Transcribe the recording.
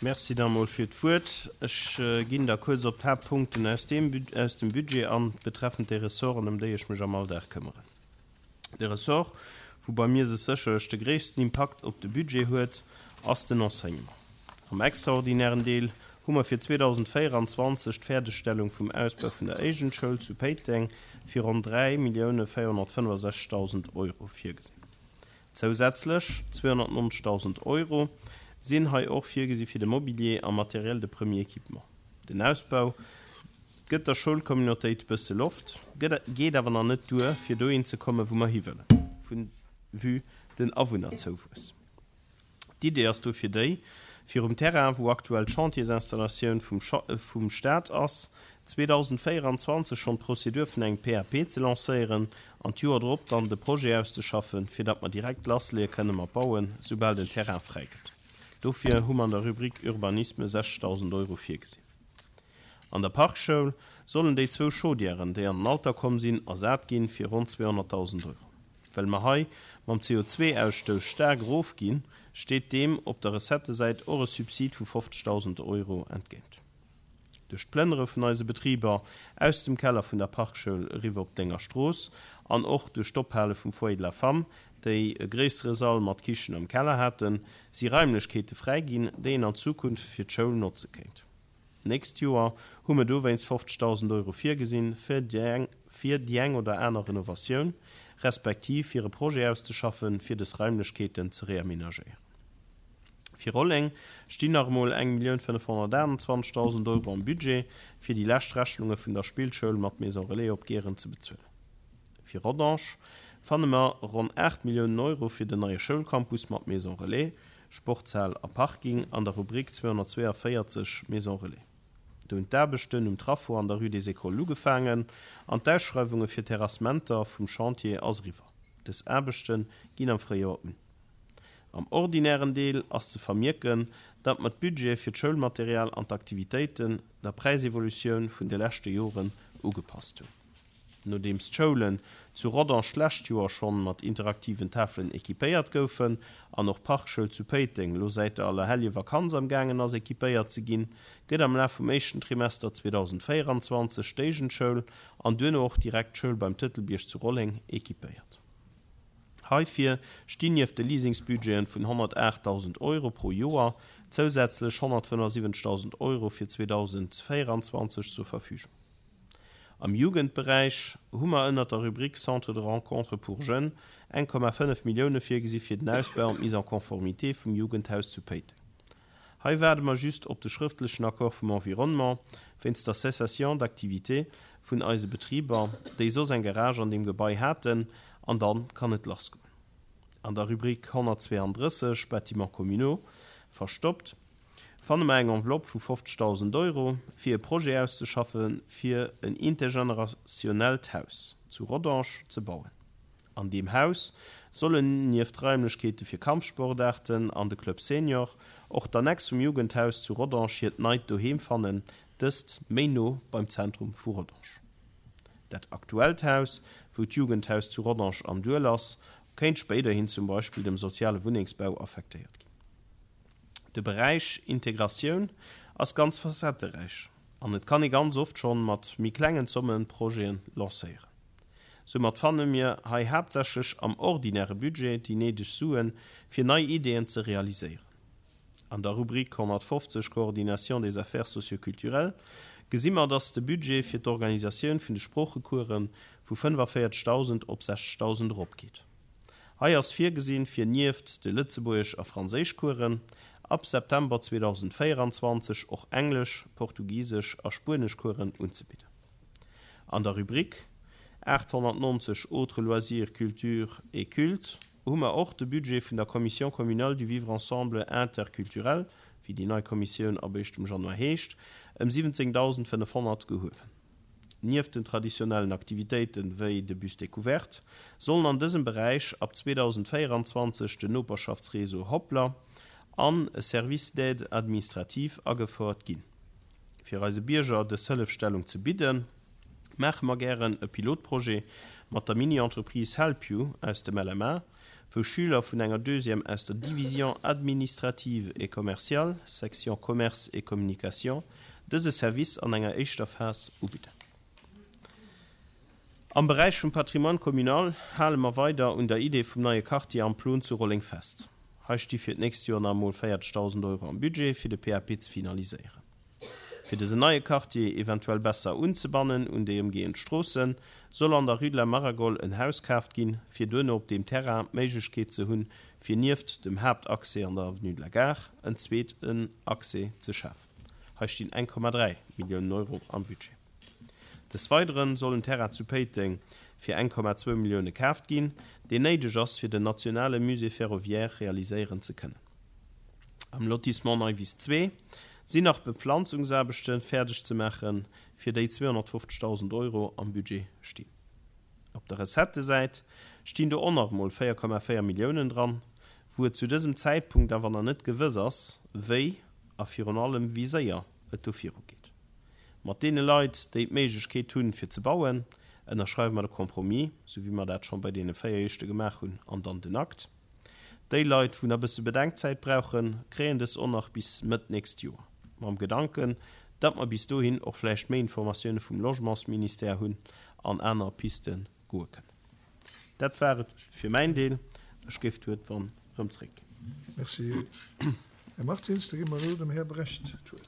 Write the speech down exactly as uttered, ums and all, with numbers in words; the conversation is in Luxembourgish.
Merci da mol fir d'Wuert. Ech ginn da kuerz op d'Haaptpunkten aus dem, aus dem Budget an, betreffend déi Ressorten, ëm déi ech mech am Alldag këmmeren. De Ressort, wou bei mir sech sécherlech de gréissten Impakt op de Budget huet, ass den Enseignement. Am extraordinären Deel hu mer fir zweedausendvéieranzwanzeg d'Fäerdegstellung vum Ausbau vun der Éigent-Schoul zu Péiteng fir ronn dräi Millioune véierhonnertfënnefasechzegdausend Euro virgesinn. Zousätzlech zweehonnertnonzegdausend Euro sinn hei och virgesi fir de Mobilier a Matériel de premier équipement. Den Ausbau gëtt der Schoulcommunautéit bësse Loft, geet awer nach net duer, fir dohin ze kommen, wou mer hiwëllen, vu vue den Awunnerzouwuess. D'Idee ass dofir déi, fir um Terrain, wou aktuell d'Chantiersinstallatioun vum vum Staat ass, zweedausendvéieranzwanzeg schonn d'Prozedur vun engem P A P ze lancéieren an d'Joer drop dann de Projet auszeschaffen, fir datt mer direkt lassleeë kënne mat bauen, soubal den Terrain fräi gëtt. Dofir hu mer an der Rubrik Urbanisme sechzegdausend Euro virgesinn. An der Parkschoul sollen déi zwou Chaudièren, déi an den Alter komm sinn, ersat ginn, fir ronn zweehonnertdausend Euro. Well mer hei mam C O zwee Ausstouss staark erofginn, steet deem op der Recettesäit och e Subsid vu fofzegdausend Euro entgéint. Duerch d'Plënnere vun eise Betriber aus dem Keller vun der Parkschoul eriwwer op d'Lénger Strooss an och duerch d'Ophale vum Foyer de la Femme, déi e gréissere Sall mat Kichen am Keller haten, si Raimlechkeete fräi ginn, déi een an Zukunft fir d'Schoul notze kéint. D'nächst Joer hu mer dowéinst fofzegdausend Euro virgesinn, fir déi eng oder aner Renovatioun, respektiv fir e Projet auszeschaffen, fir dës Raimlechkeeten ze reamenagéieren. Fir Rolleng stinn nach emol eng Millioun fënnefhonnertaachtenzwanzegdausend Euro am Budget, fir déi lescht Rechnunge vun der Spillschoul mat Maison Relais op Gehren ze bezuelen. Fir Rodange fanne mer ronn aacht Milliounen Euro fir den neie Schoulcampus mat Maison Relais, Sportshal a Parking an der Rubrik zweehonnertzweeënvéierzeg Maison Relais. Do hunn d'Aarbechten um Traffo an der Rue des Écoles ugefaangen an d'Ausschreiwunge fir Terrassementer vum Chantier ass eriwwer. Dës Aarbechte ginn am Fréijoer un. Am ordinären Deel ass ze vermierken, datt mer d'Budgete fir d'Schoulmaterial an d'Aktivitéiten der Präisevolutioun vun de leschte Joren ugepasst hunn. Nodeems d'Schoulen zu Rodange d'lescht Joer schonn mat interaktiven Tafelen equipéiert goufen an och d'Parkschoul zu Péiteng lo säit der Allerhellevakanz am gaangen ass equipéiert ze ginn, gëtt am Laf vum éischten Trimester zweedausendvéieranzwanzeg d'Éigent-Schoul an duerno och direkt d'Schoul beim Tëtelbierg zu Rolleng equipéiert. Heifir stinn nieft de Leasingsbudgeten vun honnertaachtdausend Euro pro Joer zousätzlech honnertfënnefasiwwenzegdausend Euro fir zweedausendvéieranzwanzeg zur Verfügung. Am Jugendberäich hu mer ënnert der Rubrik Centre de rencontre pour jeunes eng Komma fënnef Millioune virgesi fir den Ausbau an d'Mise en conformité vum Jugendhaus zu Péiteng. Hei waarde mer just op de schrëftlechen Accord vum Environnement wéinst der Cessation d'activité vun eise Betriber, déi soss eng Garage an deem Gebai haten, an da kann et lassgoen. An der Rubrik honnertzweeandrësseg Bâtiments communaux verstoppt fanne mer eng Enveloppe vu fofzegdausend Euro, fir e Projet auszeschaffe fir en intergenerationellt Haus zu Rodange ze bauen. An deem Haus sollen nieft Raimlechkeete fir Kampfsportaarten an de Club Senior och d'Annex vum Jugendhaus zu Rodange hiert neit Doheem fannen, dëst méi no beim Zentrum vu Rodange. Dat aktuellt Haus, wou d'Jugendhaus zu Rodange am Duel ass, kéint spéiderhin zum Beispill dem soziale Wunnengsbau affektéiert ginn. De Beräich Integratioun ass ganz facetteräich an et kann ee ganz oft schonn mat méi klengen Zomme Projeten lancéieren. Soumat fanne mir hei haaptsächlech am ordinäre Budget déi néideg Suen, fir nei Ideeën ze realiséieren. An der Rubrik honnertfofzeg Coordination des affaires socioculturelles gesi mer, dass de Budget fir d'Organisatioun vun de Sproochecourse vu fënnefavéierzegdausend op sechzegdausend eropgeet. Hei ass virgesinn, fir nieft de Lëtzebuergesch a Franséischcoursen ab September zweedausendvéieranzwanzeg och Englesch-, Portugisesch a Spueneschcoursen unzebidden. An der Rubrik aathonnertnonzeg Autres loisirs, culture et culte hu mer och de Budget vun der Commission communale du vivre ensemble interculturel, wéi déi nei Kommissioun ab éischtem Januar heescht, ëm siwwenzéngdausendfënnefhonnert gehuewen. Nieft den traditionellen Aktivitéiten, wéi de Bus découverte, sollen an dësem Beräich ab zweedausendvéieranzwanzeg den Noperschaftsreseau Hoplr an e Service d'aide administrative agefouert ginn. Fir eise Bierger dës Hëllefstellung ze bidden, maache mer gären e Pilotprojet mat der Mini-Entreprise Help You aus dem L M A, wou Schüler vun enger Deuxième aus der Division administrative et commerciale, Section Commerce et Communication, dëse Service an enger éischter Phas ubidden. Am Beräich vum Patrimoine communal hale mer weider un der Idee vum neie Quartier am Plon zu Rolleng fest. Hei sti fir d'nächst Joer nach emol véierzegdausend Euro am Budget, fir de P A P ze finaliséieren. Fir dësen neie Quartier eventuell besser unzebannen un déi ëmgehend Stroossen, soll an der Rue de la Maragole en Haus kaaft ginn, fir duerno op deem Terrain d'Méiglechkeet ze hunn, fir nieft dem Haaptaccès an der Avenue de la Gare en zweeten Accès ze schafen. Hei stinn eng Komma dräi Milliounen Euro am Budget. Des Weidere soll en Terrain zu Péiteng fir eng Komma zwou Millioune kaaft ginn, deen néideg ass, fir den nationale Musée ferroviaire realiséieren ze kënnen. Am Lotissement Neiwiss zwee sinn nach Beplanzungsaarbechte fäerdeg ze maachen, fir déi zweehonnertfofzegdausend Euro am Budget stinn. Op der Recettësäit stinn do och nach emol véier Komma véier Milliounen dran, wou et zu dësem Zäitpunkt awer nach net gewëss ass, wéi a virun allem wéi séier et do virugeet. Mat deene Leit, déi d'Méiglechkeet hunn, fir ze bauen, ënnerschreiwe mer de Compromis, sou wéi mer dat scho bei deene véier éischte gemaach hunn, an dann den Akt. Déi Leit, wou nach e bësse Bedenkzäit brauchen, kréien dës och nach bis Mëtt nächst Joer, mam Gedanken, datt mer bis dohin och vläicht méi Informatioune vum Logementsministère hunn an aner Piste goe kënnen. Dat war et fir mäin Deel. Ech géif d'Wuert dann erëm zréckginn. Merci, Här Martins. Da gi mer elo dem Här Brecht d'Wuert.